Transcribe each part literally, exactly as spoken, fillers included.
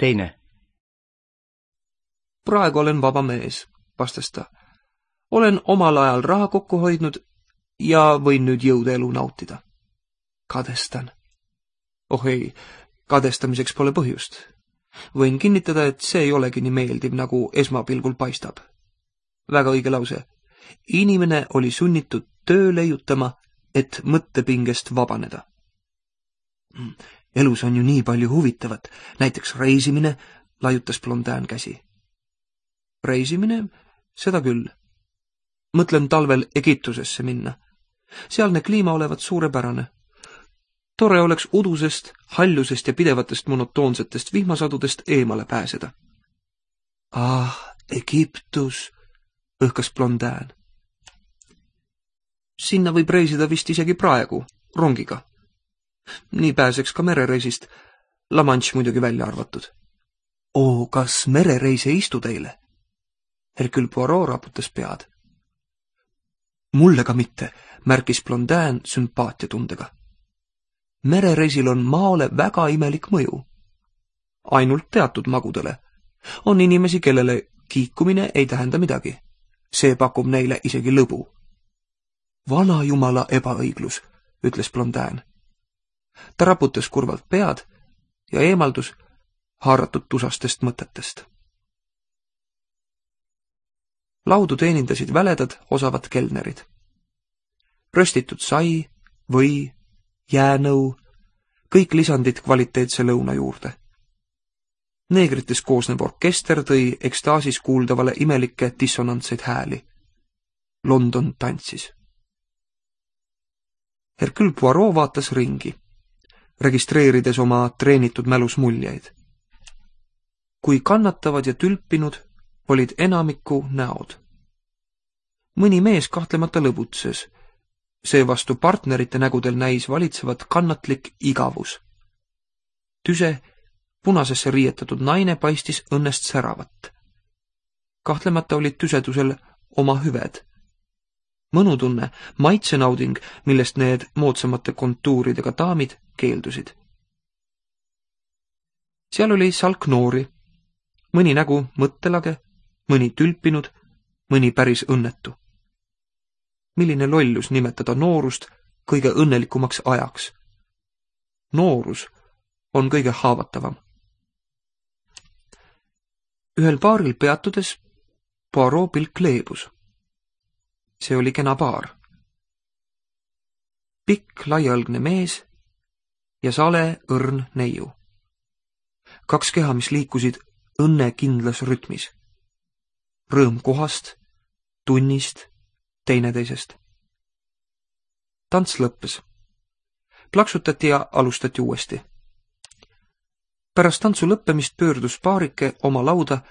teine? Praegu olen vaba mees, vastas ta. Olen omal ajal raha kokku hoidnud ja võin nüüd jõudeelu nautida. Kadestan. Oh ei, kadestamiseks pole põhjust. Võin kinnitada, et see ei olegi nii meeldiv, nagu esmapilgul paistab. Väga õige lause. Inimene oli sunnitud töö leiutama, et mõttepingest vabaneda. Elus on ju nii palju huvitavat, näiteks reisimine, laiutas Blondin käsi. Reisimine? Seda küll. Mõtlen talvel Egiptusesse minna. Sealne kliima olevat suurepärane. Tore oleks udusest, hallusest ja pidevatest monotoonsetest vihmasadudest eemale pääseda. Ah, Egiptus, õhkas Blondin. Sinna võib reisida vist isegi praegu, rongiga. Nii pääseks ka merereisist, La Manche muidugi välja arvatud. Oo, kas merereis ei istu teile? Hercule Poirot raputas pead. Mulle ka mitte, märkis Blondin sümpaatiatundega. Merereisil on maole väga imelik mõju. Ainult teatud magudele. On inimesi, kellele kiikumine ei tähenda midagi. See pakub neile isegi lõbu. Vana jumala ebaõiglus, ütles Blondin. Ta raputas kurvalt pead ja eemaldus haaratud tusastest mõtetest. Laudu teenindasid väledad osavad kelnerid. Röstitud sai, või, jäänõu, kõik lisandid kvaliteetse lõuna juurde. Neegrites koosnev orkester tõi ekstaasis kuuldavale imelikke dissonantseid hääli. London tantsis. Hercule Poirot vaatas ringi, registreerides oma treenitud mälus muljeid. Kui kannatavad ja tülpinud olid enamiku näod. Mõni mees kahtlemata lõbutses, seevastu partnerite nägudel näis valitsevat kannatlik igavus. Tüse, punasesse riietatud naine paistis õnnest säravat. Kahtlemata olid tüsedusel oma hüved. Mõnutunne, maitsenauding, millest need moodsamate kontuuridega daamid keeldusid. Seal oli salk noori, mõni nägu mõttelage, mõni tülpinud, mõni päris õnnetu. Milline lollus nimetada noorust kõige õnnelikumaks ajaks. Noorus on kõige haavatavam. Ühel baaril peatudes Poirot pilk leebus. See oli kena baar. Pikk laialgne mees ja sale õrn neiu. Kaks keha, mis liikusid õnne kindlas rütmis. Rõõm kohast, tunnist, teineteisest. Tants lõppes. Plaksutati ja alustati uuesti. Pärast tantsu lõppemist pöördus paarike oma lauda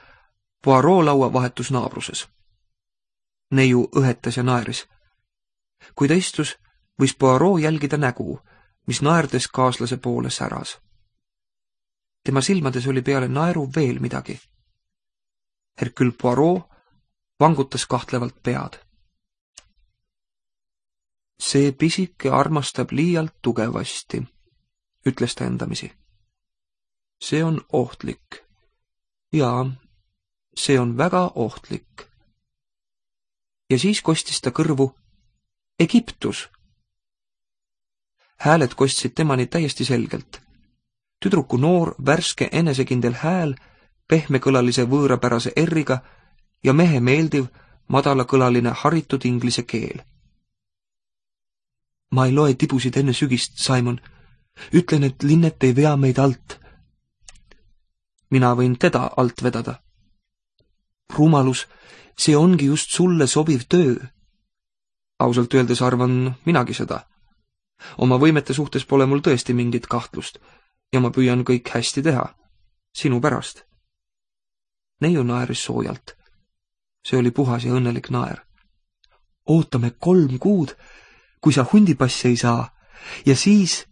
Poirot laua vahetus naabruses. Neiu õhetas ja naeris. Kui ta istus, võis Poirot jälgida nägu, mis naerdes kaaslase poole säras. Tema silmades oli peale naeru veel midagi. Hercule Poirot vangutas kahtlevalt pead. See pisike armastab liialt tugevasti, ütles ta endamisi. See on ohtlik. Jaa, see on väga ohtlik. Ja siis kostis ta kõrvu Egiptus. Hääled kostsid temani täiesti selgelt. Tüdruku noor, värske, enesekindel hääl, pehmekõlalise võõrapärase erriga ja mehe meeldiv, madalakõlaline haritud inglise keel. Ma ei loe tibusid enne sügist, Simon. Ütlen, et Linnet ei vea meid alt. Mina võin teda alt vedada. Rumalus, see ongi just sulle sobiv töö. Ausalt öeldes arvan minagi seda. Oma võimete suhtes pole mul tõesti mingit kahtlust ja ma püüan kõik hästi teha. Sinu pärast. Neiu naeris soojalt. See oli puhas ja õnnelik naer. Ootame kolm kuud, kui sa hundipassi ei saa, ja siis...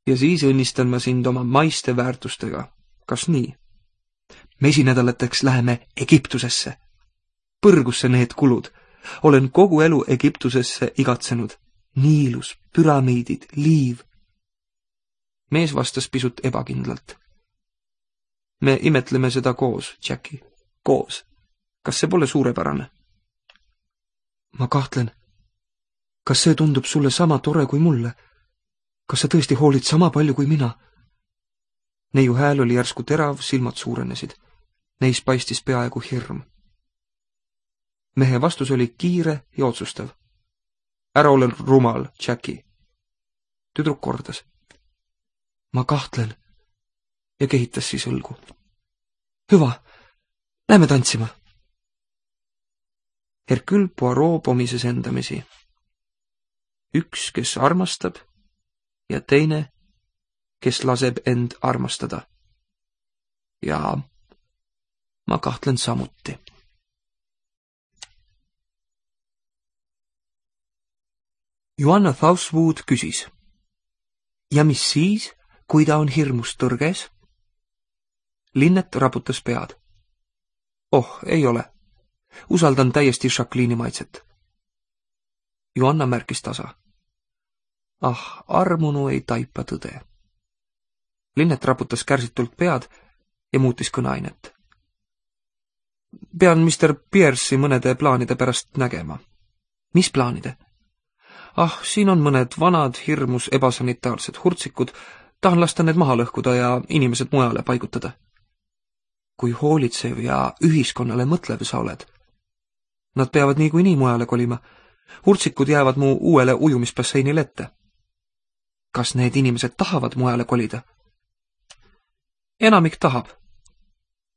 Ja siis õnnistan ma sind oma maiste väärtustega. Kas nii? Mesinädalateks läheme Egiptusesse. Põrgusse need kulud. Olen kogu elu Egiptusesse igatsenud. Niilus, püramiidid, liiv. Mees vastas pisut ebakindlalt. Me imetleme seda koos, Jackie. Koos. Kas see pole suurepärane? Ma kahtlen. Kas see tundub sulle sama tore kui mulle? Kas sa tõesti hoolid sama palju kui mina? Neiu hääl oli järsku terav, silmad suurenesid. Neis paistis peaaegu hirm. Mehe vastus oli kiire ja otsustav. Ära ole rumal, Jackie. Tüdruk kordas. Ma kahtlen. Ja kehitas siis õlgu. Hüva, lähme tantsima. Hercule Poirot pomises endamisi. Üks, kes armastab, ja teine, kes laseb end armastada. Ja ma kahtlen samuti. Joanna Southwood küsis. Ja mis siis, kui ta on hirmust tõrges? Linnet raputas pead. Oh, ei ole. Usaldan täiesti Jacqueline'i maitset. Joanna märkis tasa. Ah, armunu ei taipa tõde. Linnet raputas kärsitult pead ja muutis kõneainet. Pean mister Pierce'i mõnede plaanide pärast nägema. Mis plaanide? Ah, siin on mõned vanad, hirmus ebasanitaarsed hurtsikud. Tahan lasta need maha lõhkuda ja inimesed mujale paigutada. Kui hoolitsev ja ühiskonnale mõtlev sa oled. Nad peavad niikuinii mujale kolima. Hurtsikud jäävad mu uuele ujumisbasseinile ette. Kas need inimesed tahavad mujale kolida? Enamik tahab.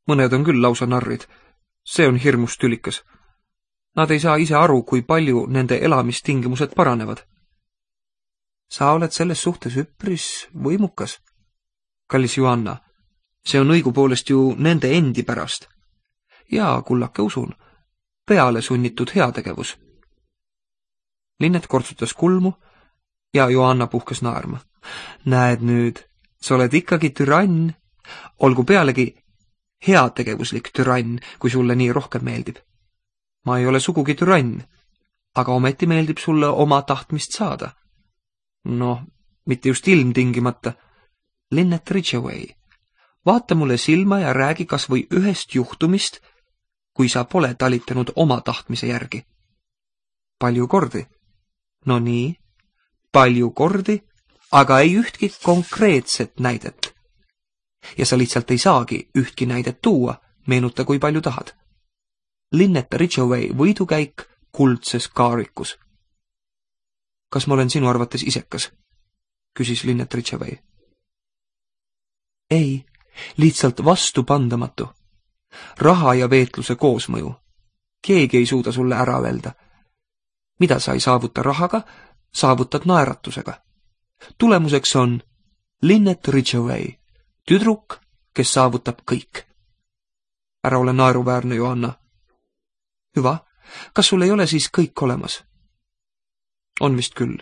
Mõned on küll lausa narrid. See on hirmus tülikas. Nad ei saa ise aru, kui palju nende elamistingimused paranevad. Sa oled selles suhtes üpris võimukas. Kallis Joanna, see on õigupoolest ju nende endi pärast. Ja, kullake usun, peale sunnitud heategevus. Linnet kortsutas kulmu ja Joanna puhkes naerma. Näed nüüd, sa oled ikkagi türann, olgu pealegi heategevuslik türann, kui sulle nii rohkem meeldib. Ma ei ole sugugi türann, aga ometi meeldib sulle oma tahtmist saada. Noh, mitte just ilmtingimata. Linnet Ridgeway, vaata mulle silma ja räägi kas või ühest juhtumist, kui sa pole talitanud oma tahtmise järgi. Palju kordi? No nii, palju kordi, aga ei ühtki konkreetset näidet. Ja sa lihtsalt ei saagi ühtki näidet tuua, meenuta kui palju tahad. Linnet Ridgeway võidukäik kuldses kaarikus. Kas ma olen sinu arvates isekas? Küsis Linnet Ridgeway. Ei, lihtsalt vastupandamatu. Raha ja veetluse koosmõju. Keegi ei suuda sulle ära öelda. Mida sa ei saavuta rahaga, saavutad naeratusega. Tulemuseks on Linnet Ridgeway, tüdruk, kes saavutab kõik. Ära ole naeruväärne, Joanna. Hüva, kas sul ei ole siis kõik olemas? On vist küll.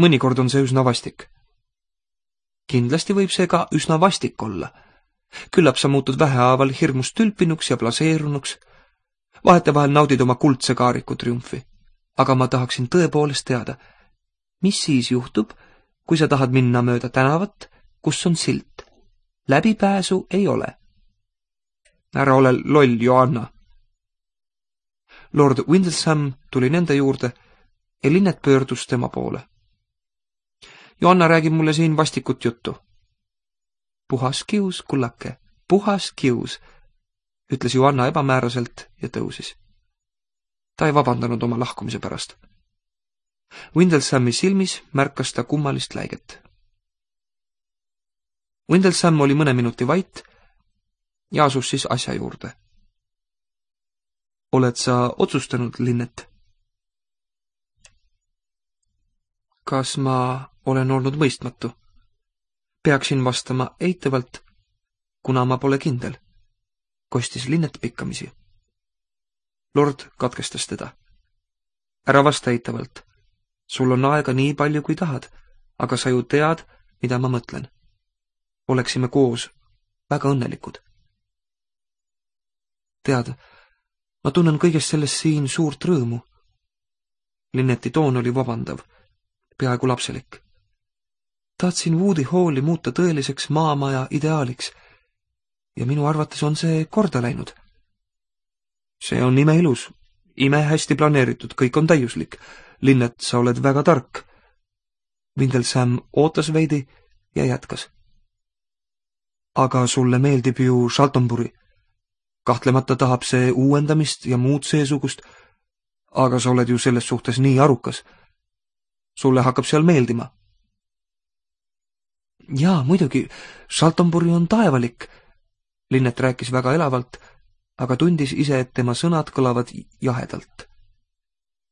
Mõnikord on see üsna vastik. Kindlasti võib see ka üsna vastik olla. Küllap sa muutud vähehaaval hirmust tülpinuks ja plaseerunuks. Vahetevahel naudid oma kuldse kaariku triumfi. Aga ma tahaksin tõepoolest teada, mis siis juhtub, kui sa tahad minna mööda tänavat, kus on silt. Läbipääsu ei ole. Ära ole loll, Joanna. Lord Windlesham tuli nende juurde ja Linnet pöördus tema poole. Joanna räägib mulle siin vastikut juttu. Puhas kius, kullake, puhas kius, ütles Joanna ebamääraselt ja tõusis. Ta ei vabandanud oma lahkumise pärast. Windleshami silmis märkas ta kummalist läiget. Windlesham oli mõne minuti vait ja asus siis asja juurde. Oled sa otsustanud, Linnet? Kas ma olen olnud mõistmatu? Peaksin vastama eitavalt, kuna ma pole kindel, kostis Linnet pikkamisi. Lord katkestas teda. Ära vasta eitavalt. Sul on aega nii palju, kui tahad, aga sa ju tead, mida ma mõtlen. Oleksime koos väga õnnelikud. Tead, ma tunnen kõigest sellest siin suurt rõõmu. Linneti toon oli vabandav, peaaegu lapselik. Tahtsin Woody Halli muuta tõeliseks maamaja ideaaliks ja minu arvates on see korda läinud. See on imeilus, ime hästi planeeritud, kõik on täiuslik. Linnet, sa oled väga tark. Windlesham ootas veidi ja jätkas. Aga sulle meeldib ju Shaltonbury. Kahtlemata tahab see uuendamist ja muud seesugust, aga sa oled ju selles suhtes nii arukas. Sulle hakkab seal meeldima. Jaa, muidugi, Shaltonbury on taevalik. Linnet rääkis väga elavalt, aga tundis ise, et tema sõnad kõlavad jahedalt.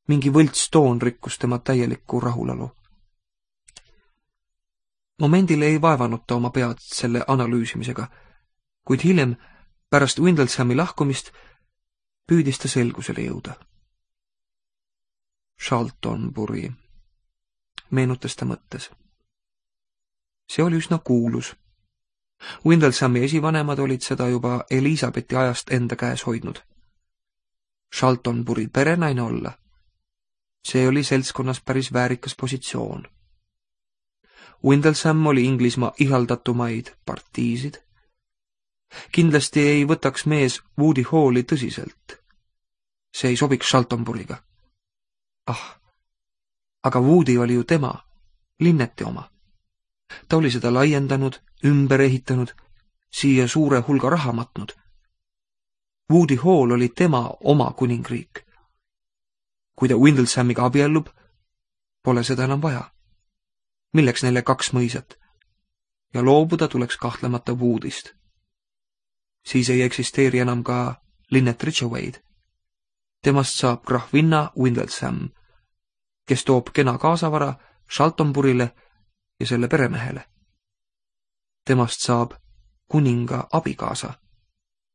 Mingi võlts toon rikkus tema täielikku rahulolu. Momendil ei vaevanud ta oma pead selle analüüsimisega, kuid hiljem, pärast Windleshami lahkumist, püüdis ta selgusele jõuda. Shaltonbury, meenutas ta mõttes. See oli üsna kuulus. Windleshami esivanemad olid seda juba Elisabethi ajast enda käes hoidnud. Shaltonbury perenaine olla. See oli seltskonnas päris väärikas positsioon. Windlesham oli Inglismaa ihaldatumaid partiisid. Kindlasti ei võtaks mees Woody Halli tõsiselt. See ei sobiks Shaltonburyga. Ah, aga Woody oli ju tema, Linneti oma. Ta oli seda laiendanud, ümber ehitanud, siia suure hulga raha matnud. Woody Hall oli tema oma kuningriik. Kui ta Windleshamiga abiellub, pole seda enam vaja. Milleks neile kaks mõisat? Ja loobuda tuleks kahtlemata Woodyst. Siis ei eksisteeri enam ka Linnet Ridgewayd. Temast saab grahvinna Windlesham, kes toob kena kaasavara Shaltonbury'le ja selle peremehele. Temast saab kuninga abikaasa,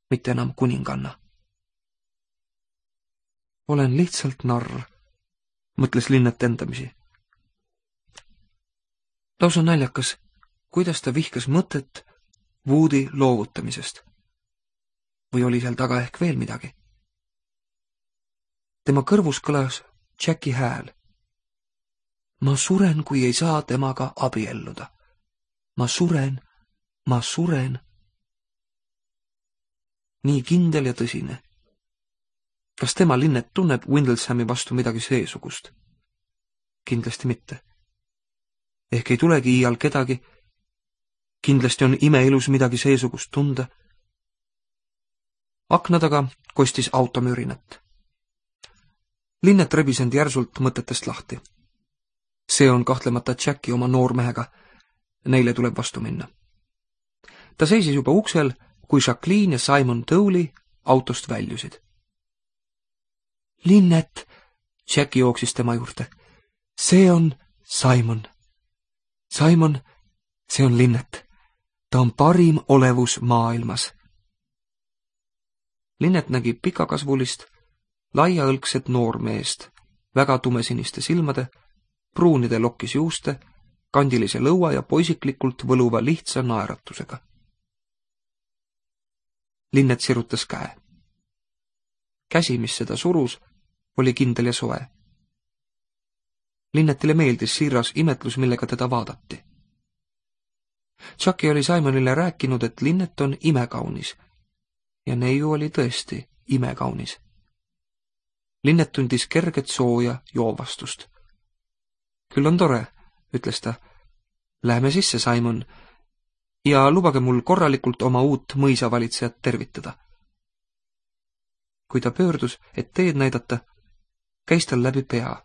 mitte enam kuninganna. Olen lihtsalt narr, mõtles Linnet endamisi. Lausa naljakas, kuidas ta vihkas mõtet Woody loovutamisest. Või oli seal taga ehk veel midagi? Tema kõrvus kõlas Jacki hääl. Ma suren, kui ei saa temaga abielluda. Ma suren, ma suren. Nii kindel ja tõsine. Kas tema Linnet tunneb Windleshami vastu midagi seesugust? Kindlasti mitte. Ehk ei tulegi iial kedagi. Kindlasti on imeilus midagi seesugust tunda. Akna taga kostis automürinat. Linnet rebis end järsult mõtetest lahti. See on kahtlemata Jacki oma noormehega. Neile tuleb vastu minna. Ta seisis juba uksel, kui Jacqueline ja Simon Dowley autost väljusid. Linnet, Jacki jooksis tema juurde. See on Simon. Simon, see on Linnet. Ta on parim olevus maailmas. Linnet nägi pikakasvulist, laiaõlgset noormeest, väga tumesiniste silmade, pruunide lokkis juuste, kandilise lõua ja poisiklikult võluva lihtsa naeratusega. Linnet sirutas käe. Käsi, mis seda surus, oli kindel ja soe. Linnetile meeldis siiras imetlus, millega teda vaadati. Jacki oli Simonile rääkinud, et Linnet on imekaunis ja neiu oli tõesti imekaunis. Linnet tundis kerget sooja joovastust. Küll on tore, ütles ta. Läheme sisse, Simon, ja lubage mul korralikult oma uut mõisavalitsejat tervitada. Kui ta pöördus, et teed näidata, käis tal läbi pea.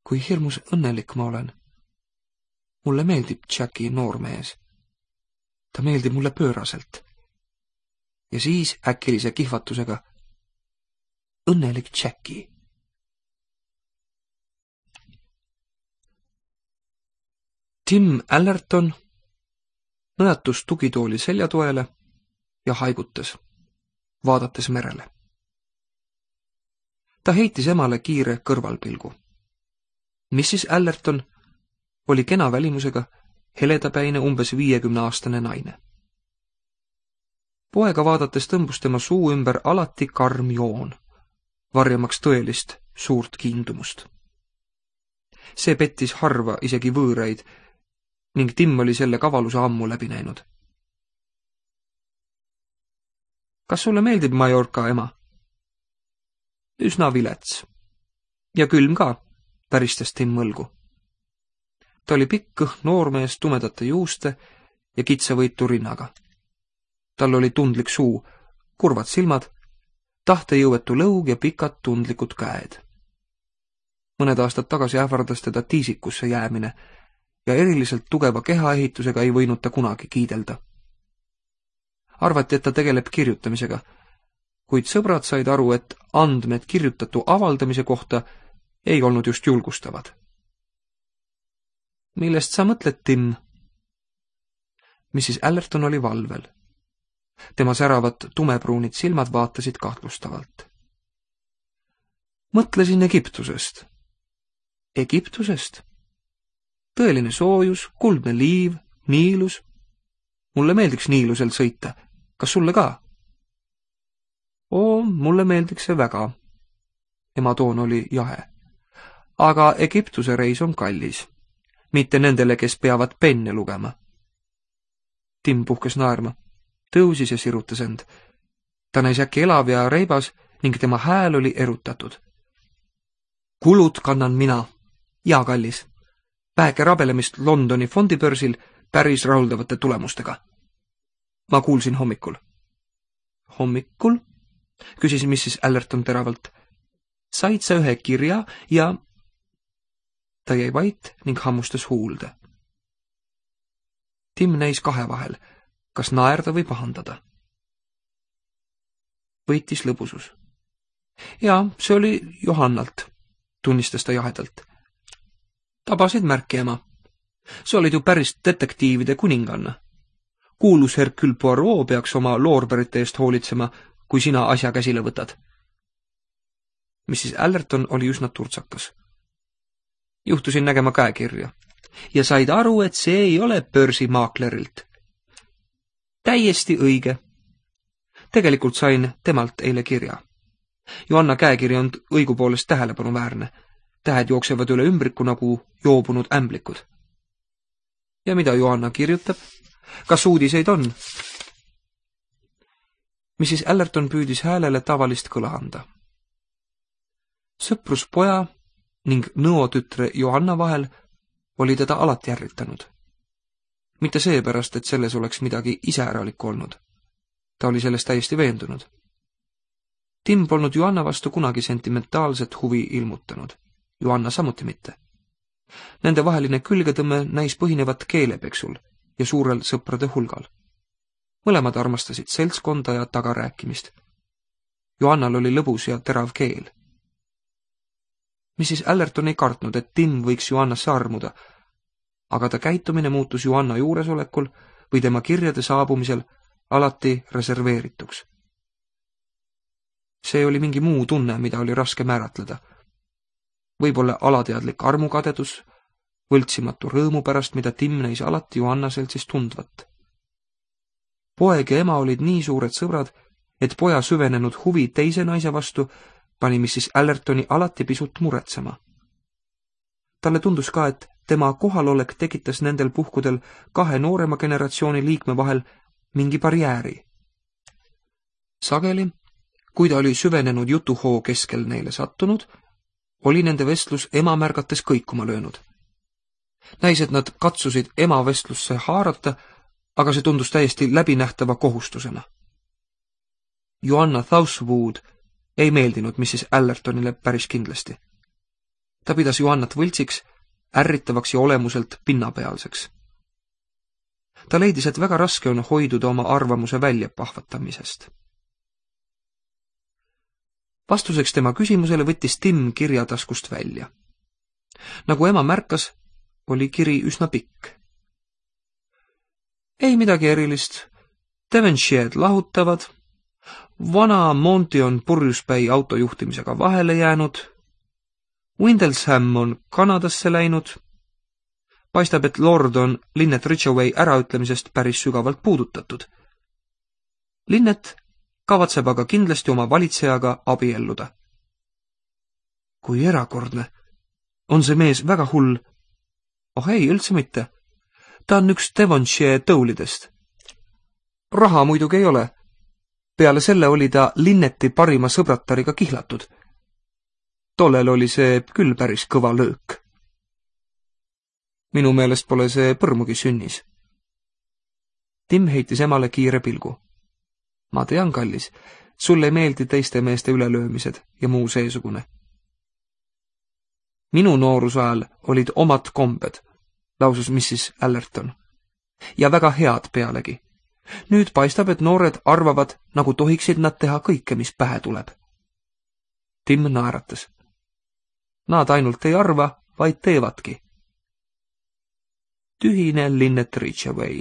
Kui hirmus õnnelik ma olen. Mulle meeldib Jacki noormees. Ta meeldib mulle pööraselt. Ja siis äkilise kihvatusega õnnelik Jacki. Tim Allerton nõjatus tugitooli seljatoele ja haigutas, vaadates merele. Ta heitis emale kiire kõrvalpilgu. missis Allerton oli kena välimusega, heledapäine umbes viiekümneaastane naine. Poega vaadates tõmbus tema suu ümber alati karm joon, varjamaks tõelist suurt kiindumust. See pettis harva isegi võõraid ning Tim oli selle kavaluse ammu läbi näinud. kas sulle meeldib Mallorca, ema? Üsna vilets. Ja külm ka, päristas Tim mõlgu. Ta oli pikk kõht noormees tumedate juuste ja kitsavõitu rinnaga. Tal oli tundlik suu, kurvad silmad, tahtejõuetu lõug ja pikad tundlikud käed. Mõned aastad tagasi ähvardas teda tiisikusse jäämine ja eriliselt tugeva kehaehitusega ei võinud ta kunagi kiidelda. Arvati, et ta tegeleb kirjutamisega, kuid sõbrad said aru, et andmed kirjutatu avaldamise kohta ei olnud just julgustavad. Millest sa mõtled, Tim? missis Allerton oli valvel. Tema säravad tumepruunid silmad vaatasid kahtlustavalt. Mõtlesin Egiptusest. Egiptusest? Tõeline soojus, kuldne liiv, Niilus. Mulle meeldiks Niilusel sõita. Kas sulle ka? Oo, mulle meeldiks see väga. Ema toon oli jahe. Aga Egiptuse reis on kallis. Mitte nendele, kes peavad penne lugema. Tim puhkes naerma, tõusis ja sirutas end. Ta näis äkki elav ja reibas ning tema hääl oli erutatud. Kulud kannan mina. Ja, kallis. Väheke rabelemist Londoni fondibörsil päris rahuldavate tulemustega. Ma kuulsin hommikul. Hommikul? Küsis missis Allerton teravalt. Said sa ühe kirja ja... Ta jäi vait ning hammustas huulde. Tim näis kahe vahel, kas naerda või pahandada. Võitis lõbusus. Ja, see oli Johannalt, tunnistas ta jahedalt. Tabasid märki, ema. Sa olid ju päris detektiivide kuninganna. Kuulus Hercule Poirot peaks oma loorberite eest hoolitsema, kui sina asja käsile võtad. missis Allerton oli üsna turtsakas. Juhtusin nägema käekirja ja said aru, et see ei ole börsimaaklerilt. Täiesti õige. Tegelikult sain temalt eile kirja. Johanna käekiri on õigupoolest tähelepanuväärne. Tähed jooksevad üle ümbriku nagu joobunud ämblikud. Ja mida Johanna kirjutab? Kas uudiseid on? missis Allerton püüdis häälele tavalist kõla anda. Sõprus poja ning nõotütre Johanna vahel oli teda alati ärritanud. Mitte seepärast, et selles oleks midagi iseäralikku olnud. Ta oli sellest täiesti veendunud. Tim polnud Johanna vastu kunagi sentimentaalset huvi ilmutanud. Johanna samuti mitte. Nende vaheline külgetõmme näis põhinevat keelepeksul ja suurel sõprade hulgal. Mõlemad armastasid seltskonda ja tagarääkimist. Johannal oli lõbus ja terav keel. missis Allerton ei kartnud, et Tim võiks Johannasse armuda, aga ta käitumine muutus Johanna juuresolekul või tema kirjade saabumisel alati reserveerituks. See oli mingi muu tunne, mida oli raske määratleda. Võib-olla alateadlik armukadedus, võltsimatu rõõmu pärast, mida Tim näis alati Johanna seltsis tundvat. Poeg ja ema olid nii suured sõbrad, et poja süvenenud huvi teise naise vastu pani missis Allertoni alati pisut muretsema. Talle tundus ka, et tema kohalolek tekitas nendel puhkudel kahe noorema generatsiooni liikme vahel mingi barjääri. Sageli, kui ta oli süvenenud jutuhoo keskel neile sattunud, oli nende vestlus ema märgates kõikuma löönud. Näis, et nad katsusid ema vestlusse haarata, aga see tundus täiesti läbinähtava kohustusena. Johanna Southwood ei meeldinud missis Allertonile päris kindlasti. Ta pidas Johannat võltsiks, ärritavaks ja olemuselt pinnapealseks. Ta leidis, et väga raske on hoiduda oma arvamuse välja pahvatamisest. Vastuseks tema küsimusele võttis Tim kirja taskust välja. Nagu ema märkas, oli kiri üsna pikk. Ei midagi erilist. Devonshire'd lahutavad. Vana Monty on purjuspäi autojuhtimisega vahele jäänud. Windlesham on Kanadasse läinud. Paistab, et Lord on Linnet Ridgeway äraütlemisest päris sügavalt puudutatud. Linnet kavatseb aga kindlasti oma valitsejaga abielluda. Kui erakordne. On see mees väga hull? Oh ei, üldse mitte. Ta on üks Devonshire tõulidest. Raha muidugi ei ole. peale selle oli ta Linneti parima sõbratariga kihlatud. Tollel oli see küll päris kõva löök. Minu meelest pole see põrmugi sünnis. Tim heitis emale kiire pilgu. Ma tean, kallis, sulle ei meeldi teiste meeste ülelöömised ja muu seesugune. Minu nooruse ajal olid omad kombed, lausus missis Allerton. Ja väga head pealegi. Nüüd paistab, et noored arvavad, nagu tohiksid nad teha kõike, mis pähe tuleb. Tim naeratas. Nad ainult ei arva, vaid teevadki. Tühine Linnet Ridgeway.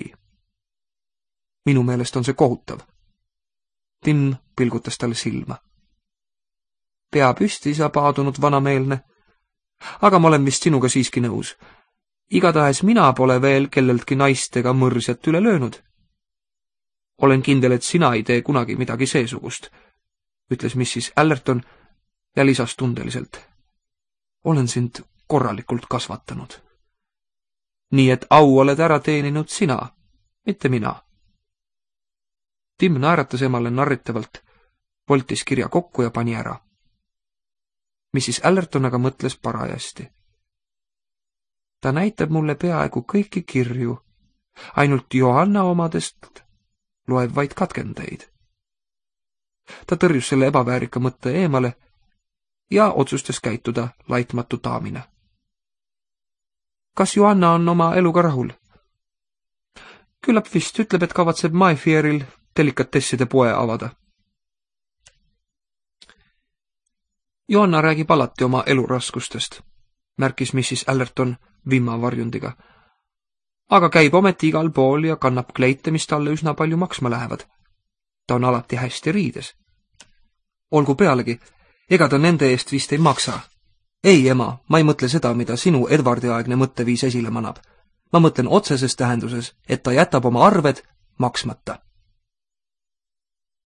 Minu meelest on see kohutav. Tim pilgutas talle silma. Pea püsti, sa paadunud vanameelne. Aga ma olen vist sinuga siiski nõus. Igatahes mina pole veel kelleltki naistega mõrsjat üle löönud. Olen kindel, et sina ei tee kunagi midagi seesugust, ütles missis Allerton ja lisas tundeliselt. Olen sind korralikult kasvatanud. Nii et au oled ära teeninud sina, mitte mina. Tim naeratas emale narritavalt, voltis kirja kokku ja pani ära. missis Allerton aga mõtles parajasti. Ta näitab mulle peaaegu kõiki kirju, ainult Johanna omadest loeb vaid katkendeid. Ta tõrjus selle ebaväärika mõtte eemale ja otsustas käituda laitmatu daamina. Kas Johanna on oma eluga rahul? Küllap vist ütleb, et kavatseb Mayfairil delikatesside poe avada. Johanna räägib alati oma eluraskustest, märkis missis Allerton vimmavarjundiga. Aga käib ometi igal pool ja kannab kleite, mis talle üsna palju maksma lähevad. Ta on alati hästi riides. Olgu pealegi, ega ta nende eest vist ei maksa. Ei, ema, ma ei mõtle seda, mida sinu Edvardi-aegne mõtteviis esile manab. Ma mõtlen otseses tähenduses, et ta jätab oma arved maksmata.